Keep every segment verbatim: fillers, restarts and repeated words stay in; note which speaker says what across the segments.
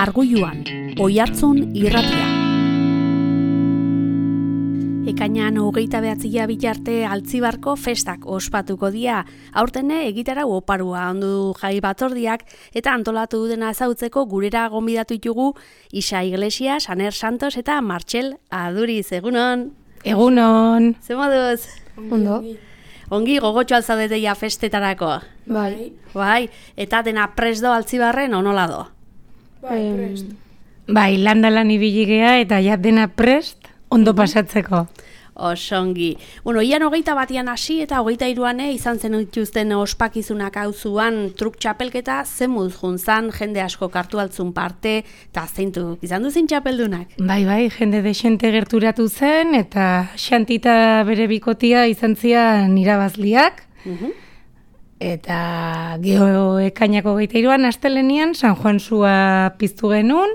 Speaker 1: Margulluan, Oiartzun irratia. Ekainan hogeita behatzia bitarte Altzibarko festak ospatuko dia. Aurtene egitara oparua ondu jai batzordiak eta antolatu dena ezautzeko gurera gonbidatu ditugu Isa Iglesias, Aner Santos eta Martxel Aduriz. Egunon.
Speaker 2: Egunon.
Speaker 1: Ze moduz?
Speaker 2: Ondo.
Speaker 1: Ongi gogotxo alzaudeteia festetarako.
Speaker 2: Bai.
Speaker 1: Bai, eta dena presdo Altzibarren onola do?
Speaker 2: Bai, prest. Bai, landalan ibili gea eta ja dena prest ondo pasatzeko.
Speaker 1: Osongi. Bueno, ian hogeita batian hasi eta hogeita iruane izan zen dituzten ospakizunak auzuan truk txapelketa zemuz juntzan, jende asko kartu altzun parte, eta zeintuk izan duzin txapeldunak?
Speaker 2: Bai, bai, jende desente gerturatu zen, eta xantita bere bikotia izan zian irabazliak,
Speaker 1: Uh-huh.
Speaker 2: eta geho ekainako hogeita iruan astelenian San Juan zua piztu genuen,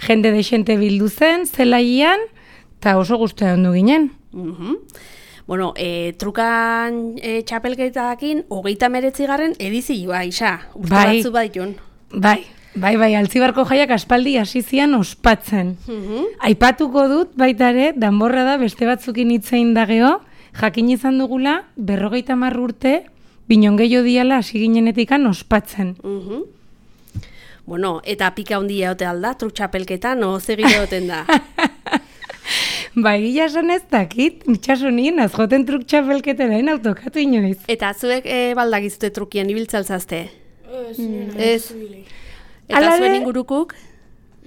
Speaker 2: jende desente bildu zen, zelaian, eta oso gustea ondu ginen.
Speaker 1: Uh-huh. Bueno, e, trukan e, txapelketakin hogeita meretzigarren edizioa, Isa. Urte
Speaker 2: Bai.
Speaker 1: batzu baitun.
Speaker 2: Bai, bai, bai, Altzibarko jaiak aspaldi hasi zian ospatzen.
Speaker 1: Uh-huh.
Speaker 2: Aipatuko dut baita ere, danborra da beste batzukin hitzein dageo, jakin izan dugula berrogeita hamar urte, binon gehiago diala hasi ginenetikan ospatzen.
Speaker 1: Uh-huh. Bueno, eta pika handia ote alda, truk txapelketan, no zegire oten da.
Speaker 2: Bai, gila esan ez dakit, nitxaso nien, azjoten truk txapelketerain autokatu inoiz.
Speaker 1: Eta zuek e, baldagizute trukien ibiltzaltzazte?
Speaker 3: Ez,
Speaker 1: Ez.
Speaker 3: ez.
Speaker 1: Eta
Speaker 2: Hala
Speaker 1: zuen
Speaker 2: ere-
Speaker 1: ingurukuk?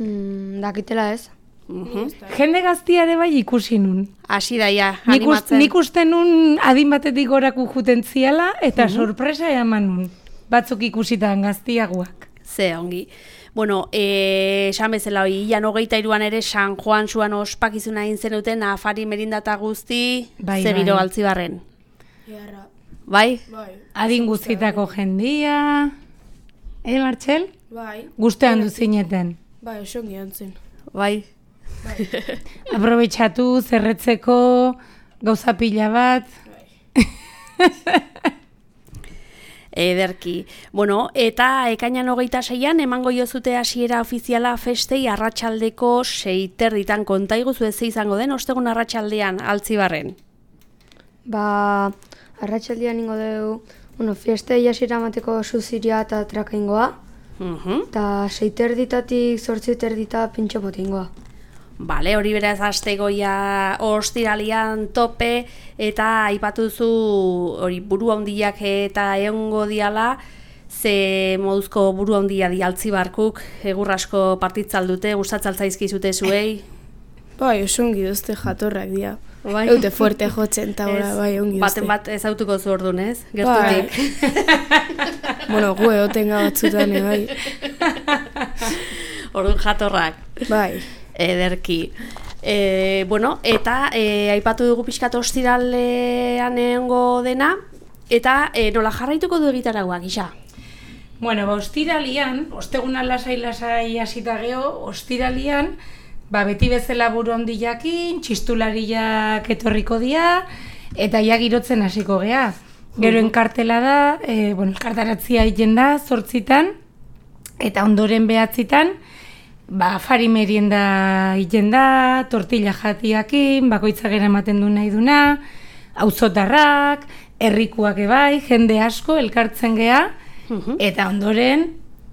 Speaker 3: Mm, dakitela ez.
Speaker 1: Uh-huh.
Speaker 2: Jende gaztiare bai ikusi nun.
Speaker 1: Hasi daia,
Speaker 2: Nik, ust,
Speaker 1: animatzen.
Speaker 2: nik uste nun adin batetik goraku juten ziala, eta sorpresa eman nun. Batzuk ikusitan gaztiagoak.
Speaker 1: Ze ongi. Bueno, eh, esan bezala hori, ian hogeita iruan ere San Juan zuan ospakizuna egin zenuten afari merindata guzti,
Speaker 2: Bai,
Speaker 1: ze giro
Speaker 2: bai.
Speaker 1: Altzibarren.
Speaker 3: Jarra.
Speaker 1: Bai?
Speaker 3: Bai.
Speaker 2: Adin guztitako jendia. Eh, Martxel?
Speaker 3: Bai.
Speaker 2: Guztean duzineten.
Speaker 3: Bai, esongi antzen.
Speaker 1: Bai?
Speaker 2: Aprobetxatu, zerretzeko, gauza pila bat.
Speaker 1: Ederki. Bueno, eta ekainan hogeita seian emango jozute hasiera ofiziala festei arratsaldeko seiterditan kontaiguzu ez izango den ostegun arratsaldean Altzibarren.
Speaker 4: Ba, arratsaldean ingo dugu, bueno, fiestei hasiera emateko suziria eta trakaingoa,
Speaker 1: Mhm.
Speaker 4: eta seiterditatik zortziterdita pintxo potingoa.
Speaker 1: Bale, hori beraz astegoia ostiralian tope eta aipatuzu hori buru handiak eta egongo diala, ze moduzko buru handia di Altzibarkuk, egur asko partitzaldute, gustatzaltzaizkizute zuei.
Speaker 3: Bai, esongi duzte jatorrak dira.
Speaker 1: Bai.
Speaker 3: Eute fuerte jotzen eta ora,
Speaker 1: Ez,
Speaker 3: bai, ongi duzte.
Speaker 1: baten bat ezautuko zu ordun, ez?
Speaker 3: Bai.
Speaker 1: Gertutik.
Speaker 3: Bueno, gu egotenga batzutan, eh, bai.
Speaker 1: Ordun jatorrak.
Speaker 3: Bai.
Speaker 1: Ederki. E, bueno, eta e, aipatu dugu pixkat ostiralean egongo dena, eta e, nola jarraituko du egitarauak, Isa?
Speaker 2: Bueno, ba, ostiralian, osteguna lasai-lasai hasita geho, ostiralian, ba, beti bezala buru handiakin, txistulariak etorriko dira, eta ja girotzen hasiko gea. Gero enkartela da, e, bueno, elkartaratzia egiten da, zortzitan, eta ondoren behatzitan, ba, afari merienda egiten da, tortilla jatiakin, bakoitzak eramaten du nahi duna, auzotarrak, herrikuak ebai, jende asko elkartzen gea, eta ondoren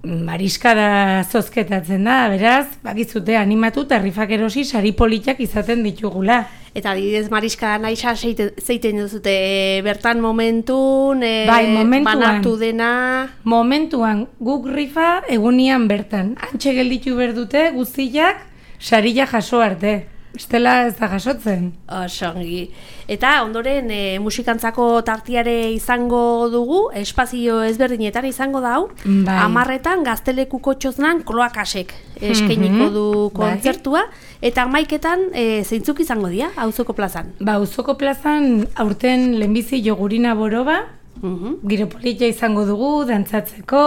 Speaker 2: mariskada zozketatzen da, beraz, bakizute animatu eta rifak erosi sari politak izaten ditugula.
Speaker 1: Eta adibidez mariska naisa zeiten duzute e, bertan momentun, e,
Speaker 2: Bai, momentuan.
Speaker 1: banatu dena...
Speaker 2: Momentuan guk rifa egunian bertan, antxe gelditu berdute guztiak sarila jaso arte. Bestela ez da jasotzen.
Speaker 1: Osongi. Eta ondoren e, musikantzako tartiare izango dugu, espazio ezberdinetan izango da hau,
Speaker 2: Bai.
Speaker 1: amarretan gaztelekuko txoznan kloakasek eskainiko du
Speaker 2: Bai.
Speaker 1: kontzertua, eta amaiketan e, zeintzuk izango dira, auzoko plazan.
Speaker 2: Ba, auzoko plazan aurten lehenbizi jogurina boroba,
Speaker 1: Mhm.
Speaker 2: giro politia izango dugu, dantzatzeko,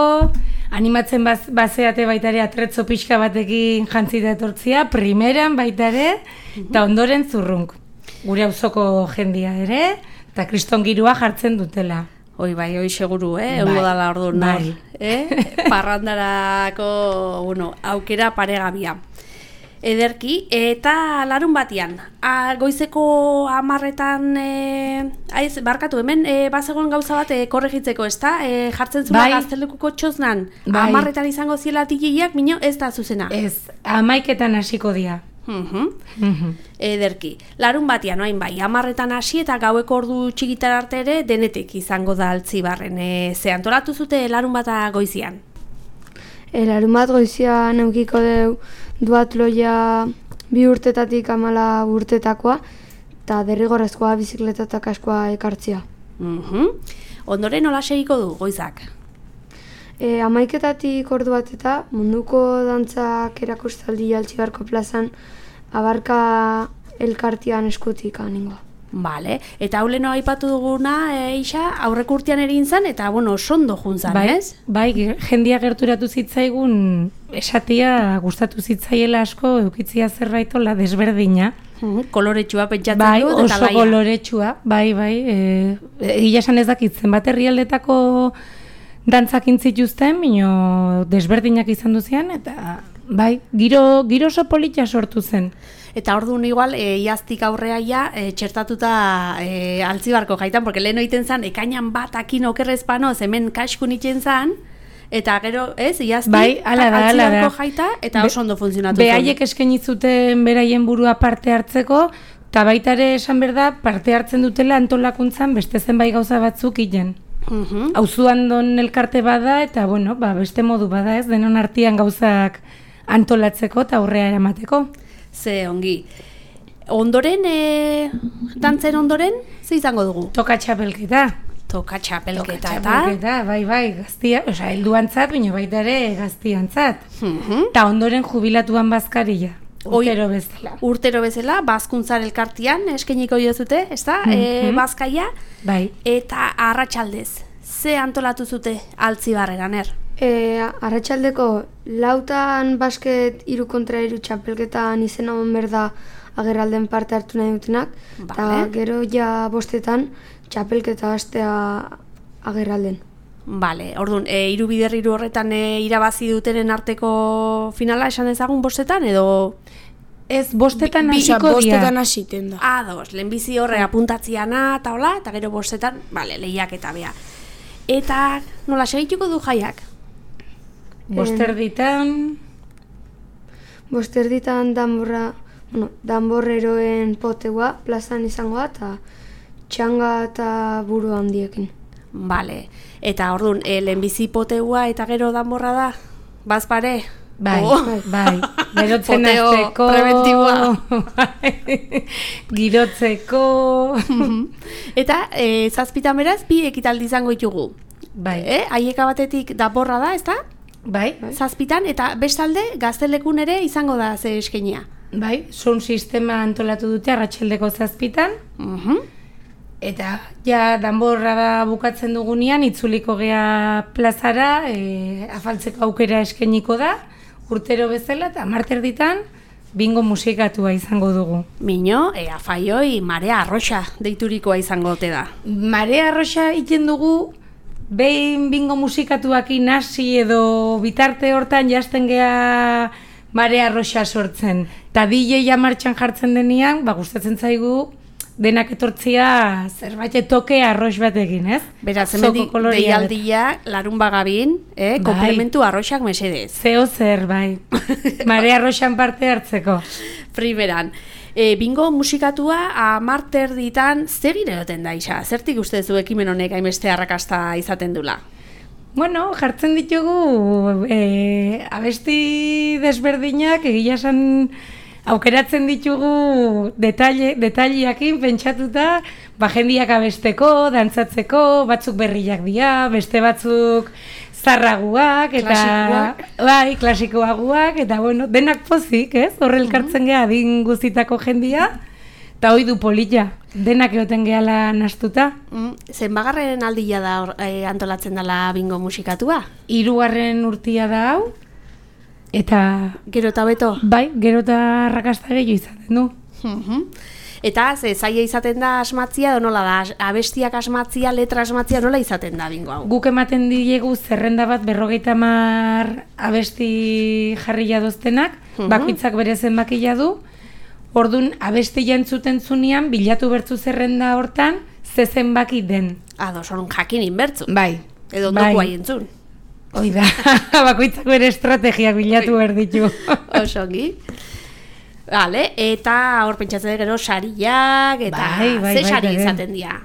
Speaker 2: animatzen baz, bazeate baita ere atretzo pixka batekin jantzita etortzia, primeran baita ere, eta ondoren zurrunk. Gure auzoko jendia ere, eta kriston girua jartzen dutela.
Speaker 1: Hoi bai, hoi seguru, eh?
Speaker 2: Bai,
Speaker 1: Egongo dala orduan,
Speaker 2: bai.
Speaker 1: eh? Parrandarako, bueno, aukera paregabia. Ederki, eta larun batian, a, goizeko hamarretan, e, aiz, barkatu, hemen e, bazegoen gauza bat e, korregitzeko, ez da? E, jartzen zuen
Speaker 2: Bai.
Speaker 1: Gaztelekuko txoznan,
Speaker 2: Bai.
Speaker 1: hamarretan izango ziela tikiak, mino ez da zuzena.
Speaker 2: Ez, amaiketan hasiko dira.
Speaker 1: Mhm.
Speaker 2: Mhm.
Speaker 1: Ederki, larun batian, oain bai, hamarretan hasi eta gaueko ordu txikitar arte ere denetik izango da Altzibarren. E, ze antolatu zute larun bata goizian?
Speaker 4: E, larun bat goizian eukiko deu duatloia bi urtetatik amala urtetakoa, eta derrigorrezkoa bizikleta eta kaskoa ekartzia.
Speaker 1: Mhm. Ondoren nola segiko du goizak?
Speaker 4: E, amaiketatik ordu bat eta munduko dantzak erakustaldi Altzibarko plazan abarka elkartian eskutik aningoa.
Speaker 1: Bale, eta hau leno aipatu duguna, e, Isa, aurreko urtean egin zan, eta, bueno, sondo juntzan,
Speaker 2: Bai,
Speaker 1: ez?
Speaker 2: bai, ge- jendia gerturatu zitzaigun esatia gustatu zitzaiela asko eukitzia zerbaitola desberdina.
Speaker 1: Mhm, koloretsua pentsatzen
Speaker 2: Bai,
Speaker 1: dut, eta
Speaker 2: oso
Speaker 1: laia.
Speaker 2: koloretsua, bai, bai, e, egia esan ez dakit zenbat herrialdetako dantzak intzituzten, bino desberdinak izan duzian, eta bai, giro, giro oso polita sortu zen.
Speaker 1: Eta orduan igual, e, iaztik aurrea ja, e, txertatuta e, Altzibarko jaitan, porque lehen oiten zan, ekainan bat akin okerrezpanoz, hemen kaskun itzen zan, eta gero, ez, iaztik,
Speaker 2: Bai, hala da, hala da.
Speaker 1: Altzibarko jaita, eta oso ondo funtzionatu zuen.
Speaker 2: Behaiek eskaini zuten beraien burua parte hartzeko, eta baita ere esan behar da, parte hartzen dutela antolakuntzan beste zenbait gauza batzuk hilen.
Speaker 1: Mhm.
Speaker 2: Auzuan don elkarte bada, eta bueno, ba, beste modu bada ez, denon artean gauzak antolatzeko eta aurrea eramateko.
Speaker 1: Ze ongi. Ondoren, e, dantzen ondoren, ze izango dugu?
Speaker 2: Toka txapelketa.
Speaker 1: Toka txapelketa,
Speaker 2: Toka
Speaker 1: eta...
Speaker 2: txapelketa, bai, bai, gaztia, osea, helduantzat, baina baita ere gaztiantzat.
Speaker 1: Mhm.
Speaker 2: Eta ondoren jubilatuan bazkaria,
Speaker 1: Oi-
Speaker 2: urtero bezala.
Speaker 1: Urtero bezala, bazkuntzar elkartian eskainiko diozute, ez da? E,
Speaker 2: Mhm.
Speaker 1: bazkaia,
Speaker 2: Bai,
Speaker 1: eta arratsaldez. Ze antolatu zute Altzibarreran, er?
Speaker 4: E, arratsaldeko lautan basket iru kontra iru txapelketan izena eman behar da agerralden parte hartu nahi dutenak, eta
Speaker 1: Vale.
Speaker 4: gero ja bostetan txapelketa hastea agerralden.
Speaker 1: Bale, orduan, e, hiru bider hiru horretan e, irabazi dutenen arteko finala esan ezagun bostetan, edo...
Speaker 2: ez bostetan
Speaker 3: Bi-
Speaker 2: hasiko
Speaker 3: Osea,
Speaker 2: dira.
Speaker 3: bostetan hasiten da.
Speaker 1: Ados, lehenbizi horre apuntatziana eta hola, eta gero bostetan, bale, lehiak eta bea. Eta nola segituko du jaiak?
Speaker 2: Bosterditan,
Speaker 4: Bosterditan danborra, bueno, danborreroen poteua plazan izangoa eta txanga eta buru handiekin.
Speaker 1: Bale, eta orduan, e, lehenbizi poteua eta gero danborra da? Bazpare?
Speaker 2: bai,
Speaker 1: Oh.
Speaker 2: bai, berotzen
Speaker 1: Poteo
Speaker 2: hasteko,
Speaker 1: prebentiboa.
Speaker 2: bai, girotzeko,
Speaker 1: Eta e, zazpitan beraz, bi ekitaldi izango ditugu.
Speaker 2: bai,
Speaker 1: Eh? Aieka batetik danborra da, ez da?
Speaker 2: bai,
Speaker 1: Zazpitan, eta bestalde gaztelekun ere izango da ze eskenia.
Speaker 2: bai, sound sistema antolatu dute arratsaldeko zazpitan,
Speaker 1: Mhm.
Speaker 2: eta ja danborra da bukatzen dugunean itzuliko gea plazara, e, afaltzeko aukera eskainiko da, urtero bezala, eta marterditan bingo musikatua izango dugu.
Speaker 1: Mino, e, afaioi, marea arroxa deiturikoa izango ote da.
Speaker 2: Marea arroxa iten dugu, behin bingo musikatuakin hasi edo bitarte hortan jasten gea marea arroxa sortzen. Ta D J martxan jartzen denean, ba, gustatzen zaigu denak etortzia zerbait toke arrox batekin, ez?
Speaker 1: Beraz,
Speaker 2: Zoko
Speaker 1: hemendik
Speaker 2: kolorea
Speaker 1: deialdia larun bagabin, eh,
Speaker 2: Bai.
Speaker 1: komplementu arroxak mesedez.
Speaker 2: Zeo zer, bai. Marea arroxan parte hartzeko.
Speaker 1: Primeran, e, bingo musikatua amarter ditan zegire egoten da, Isa? Zertik uste zu ekimen honek hainbeste arrakasta izaten dula?
Speaker 2: Bueno, jartzen ditugu e, abesti desberdinak, egia esan aukeratzen ditugu detalle, detaileakin pentsatuta, ba, jendiak abesteko, dantzatzeko, batzuk berriak dira, beste batzuk zarraguak, eta
Speaker 1: Klasikoak.
Speaker 2: bai, klasikoaguak, eta bueno, denak pozik, ez? Horre elkartzen geha adin guztitako jendia, eta hoi du polita, denak egoten gehala nastuta.
Speaker 1: Mm, zenbagarren aldia da hor, e, antolatzen dela bingo musikatua?
Speaker 2: Hirugarren urtia da hau, eta
Speaker 1: Gero eta beto?
Speaker 2: bai, gero eta arrakasta gehiago izaten du.
Speaker 1: Mhm. Eta ze zaila izaten da asmatzia, edo nola da, abestiak asmatzia, letra asmatzia, nola izaten da bingo hau?
Speaker 2: Guk ematen diegu zerrenda bat berrogeita hamar abesti jarri jadoztenak,
Speaker 1: Mhm.
Speaker 2: bakoitzak bere zenbakia du. Ordun abestia entzuten zunean bilatu bertzu zerrenda hortan ze zenbaki den.
Speaker 1: Ado, sorun jakin inbertzu.
Speaker 2: Bai.
Speaker 1: Edo
Speaker 2: bai.
Speaker 1: doku haien entzun.
Speaker 2: Hoi da, bakoitzak bere estrategiak bilatu behar ditu.
Speaker 1: Osongi. Vale, eta hor pentsatzen gero sariak, eta
Speaker 2: Bai, bai,
Speaker 1: ze
Speaker 2: bai,
Speaker 1: sari
Speaker 2: bai.
Speaker 1: izaten dira.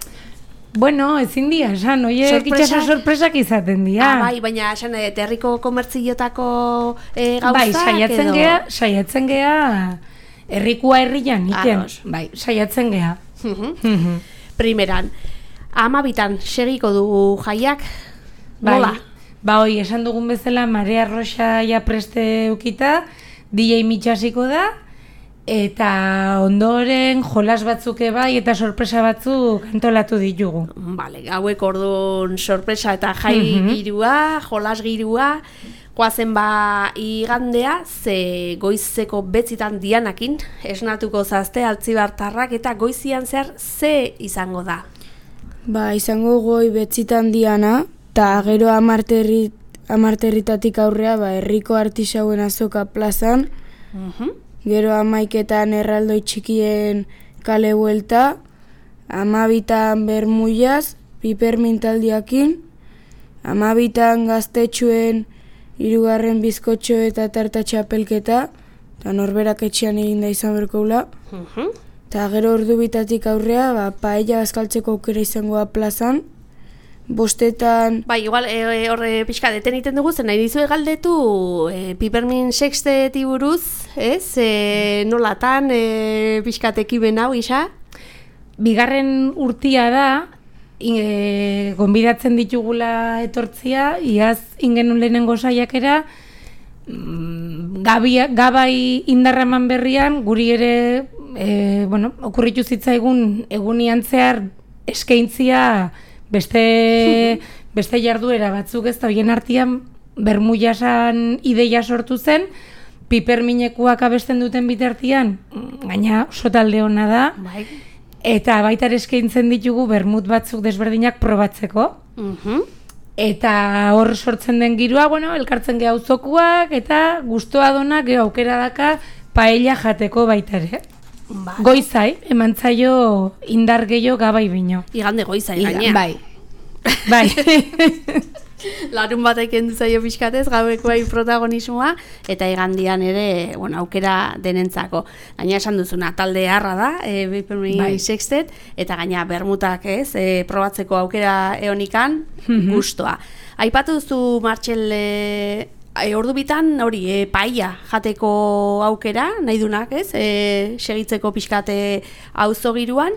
Speaker 2: Bueno, ezin dira, esan, oie,
Speaker 1: Sorpresak?
Speaker 2: itxaso sorpresak izaten dira.
Speaker 1: Ah, bai, baina esan eh, herriko komertziotako e, gauzak
Speaker 2: Bai, saiatzen
Speaker 1: edo...
Speaker 2: gea, saiatzen gea, herrikua herrian, iten.
Speaker 1: Ados.
Speaker 2: Bai, saiatzen gea.
Speaker 1: Mhm.
Speaker 2: Mhm.
Speaker 1: Primeran, amabitan segiko dugu jaiak,
Speaker 2: Bai.
Speaker 1: nola?
Speaker 2: Ba, hoi, esan dugun bezala, Marea Roxa ja preste ukita, D J mitxasiko da, eta ondoren jolas batzuk bai eta sorpresa batzuk antolatu ditugu.
Speaker 1: Vale, hauek orduan sorpresa eta jai
Speaker 2: Mhm.
Speaker 1: girua, jolas girua, goazen ba igandea, ze goizeko betzitan dianakin, esnatuko zazte altzibartarrak, eta goizian zehar ze izango da?
Speaker 3: Ba, izango goi betzitan diana, eta gero amarterri, amarterritatik aurrea, ba, herriko artisauen azoka plazan,
Speaker 1: Mhm.
Speaker 3: gero amaiketan erraldoi txikien kale buelta, amabitan bermuiaz, pipermintaldiakin, amabitan gaztetxuen hirugarren bizkotxo eta tarta txapelketa, eta norberak etxean egin da izan berkoula,
Speaker 1: Mhm.
Speaker 3: eta gero ordu bitatik aurrea, ba, paella bazkaltzeko aukera izangoa plazan, bostetan,
Speaker 1: Bai, igual, e, e, horre pixka deten egiten dugu, zen nahi dizue galdetu e, Pipermin sexteti buruz, ez? E, nolatan e, pixkat ekimen hau, isa?
Speaker 2: Bigarren urtia da, e, gonbidatzen ditugula etortzia, iaz ingenun lehenengo saiakera, mm, gabi, gabai indarraman berrian, guri ere, e, bueno, okurritu zitzaigun egunian zehar eskaintzia beste, beste jarduera batzuk, ez da, horien artean bermuiasan ideia sortu zen, piperminekuak abesten duten bitartian, gaina oso talde hona da,
Speaker 1: Bai.
Speaker 2: eta baita ere eskaintzen ditugu bermut batzuk desberdinak probatzeko.
Speaker 1: Mhm.
Speaker 2: Eta hor sortzen den girua, bueno, elkartzen geha auzokuak eta gustoa donak geha aukera daka paella jateko baita ere.
Speaker 1: Bai.
Speaker 2: Goizai, eman zaio indar gehiago gabai bino.
Speaker 1: Igande goiza,
Speaker 2: Iga-
Speaker 1: gainea.
Speaker 2: Bai. Bai.
Speaker 1: Larun batek kendu zaio pixkatez, gaueko bai protagonismoa, eta igandian ere, bueno, aukera denentzako. Gaina esan duzuna, talde harra da, e, Pipermin
Speaker 2: Bai.
Speaker 1: sextet, eta gaina bermutak ez, e, probatzeko aukera eonikan,
Speaker 2: Mhm.
Speaker 1: gustoa. Aipatu duzu, Martxel, e, e, ordu bitan, hori, e, paella jateko aukera, nahi dunak, ez, e, segitzeko pixkate auzo giruan,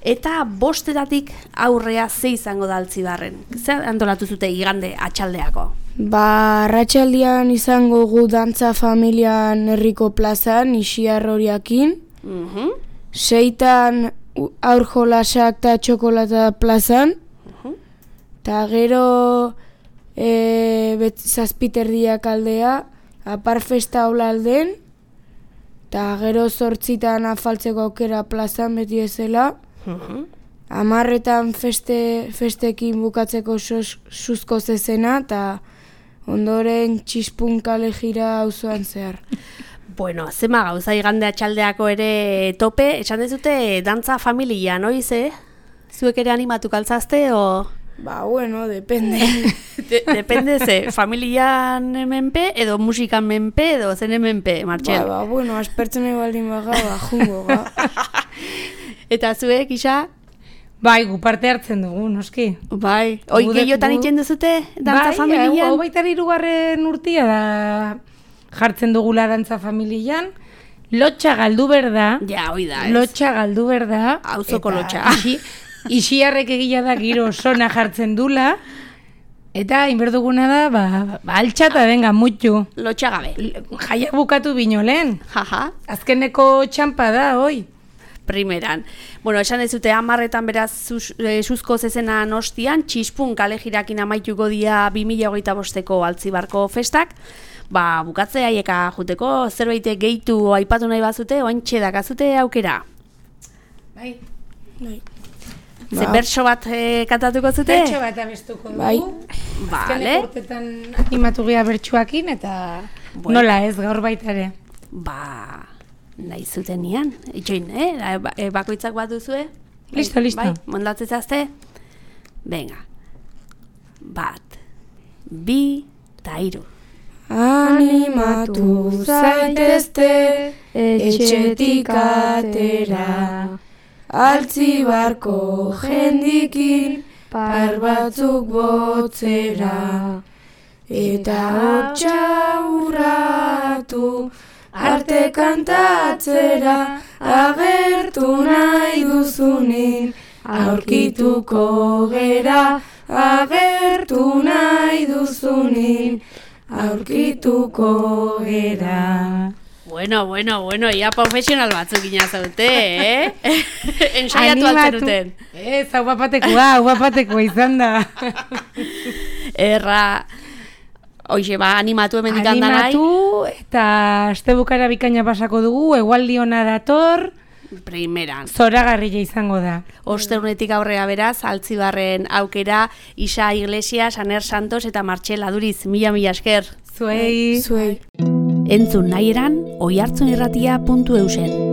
Speaker 1: eta bostetatik aurrea ze izango da Altzibarren. Zer antolatu zute igande atxaldeako?
Speaker 3: ba, arratsaldean izango gu dantza familian herriko plazan, isiar horiakin,
Speaker 1: Mhm.
Speaker 3: seitan u- aur jolasak eta txokolata plazan, eta gero e, bet, zazpiterdiak aldea, apar festa hola alden, eta gero zortzitan afaltzeko aukera plazan beti ezela,
Speaker 1: Mhm.
Speaker 3: Amarretan feste, festekin bukatzeko sos, suzko zezena, eta ondoren txispun kale jira auzoan zehar.
Speaker 1: Bueno, zema gauza igande atxaldeako ere tope, esan dezute dantza familia, noiz, eh? Zuek ere animatu kaltzazte, o...
Speaker 3: Ba, bueno, depende.
Speaker 1: De, depende ze, familian menpe, edo musikan menpe, edo zen menpe,
Speaker 3: ba,
Speaker 1: Martxel.
Speaker 3: ba, bueno, aspertzen baldin baga, ba, jungo, ga.
Speaker 1: Eta zuek, isa?
Speaker 2: Bai, gu parte hartzen dugu, noski.
Speaker 1: Bai, oi
Speaker 2: Gu de-
Speaker 1: gehiotan
Speaker 2: gu-
Speaker 1: egiten duzute dantza
Speaker 2: bai,
Speaker 1: familian?
Speaker 2: hau baita hirugarren urtia da jartzen dugula dantza familian. Lotxa galdu berda.
Speaker 1: Ja, hoi da, ez?
Speaker 2: Lotxa galdu berda.
Speaker 1: Auzoko
Speaker 2: eta
Speaker 1: lotxa.
Speaker 2: Isi, isiarrek egila da giro sona jartzen dula. Eta inberduguna da, ba, ba altxata benga mutxu.
Speaker 1: Lotxagabe.
Speaker 2: Jaiak bukatu bino lehen.
Speaker 1: Jaja.
Speaker 2: Azkeneko txampa da, hoi.
Speaker 1: Primeran. Bueno, esan ez dute hamarretan beraz zuz, e, suzko zezena nostian, txispun kale jirakin amaituko dia bi mila hogeita bosteko Altzibarko festak. Ba, bukatzea haieka juteko, zerbait gehitu aipatu nahi bazute, oantxe dakazute aukera.
Speaker 2: Bai.
Speaker 3: Bai.
Speaker 1: Ze bertso bat eh, kantatuko zute?
Speaker 2: Bertso bat abestuko dugu.
Speaker 3: Bai.
Speaker 1: Vale.
Speaker 2: Azken urtetan animatu gea bertsuakin eta
Speaker 1: Bueno.
Speaker 2: nola ez gaur baita ere.
Speaker 1: Ba, nahi zutenian. Itxoin, eh? Ba- eh, Bakoitzak bat duzue?
Speaker 2: Listo, listo.
Speaker 1: Bai, mondatzen zazte? Venga. Bat, bi, eta hiru.
Speaker 3: Animatu zaitezte etxetik atera, altzibarko jendikin par batzuk botzera, eta hotxa urratu arte kantatzera, agertu nahi duzunin aurkituko gera, agertu nahi duzunin aurkituko gera.
Speaker 1: Bueno, bueno, bueno, ia profesional batzuk inazaute, eh? Ensaiatu altzen duten.
Speaker 2: Ez, hau bapatekoa, hau bapatekoa izan da.
Speaker 1: Erra, hoxe, ba, animatu hemendik handanai.
Speaker 2: Animatu eta astebukara bikaina pasako dugu, egualdi ona dator,
Speaker 1: Primeran.
Speaker 2: zoragarria izango da.
Speaker 1: Ostegunetik aurrera beraz, Altzibarren aukera, Isa Iglesias, Aner Santos eta Martxela Duriz, mila mila esker.
Speaker 2: Zuei.
Speaker 3: Zuei.
Speaker 1: Entzun nahi eran, oihartzunirratia puntu eusen.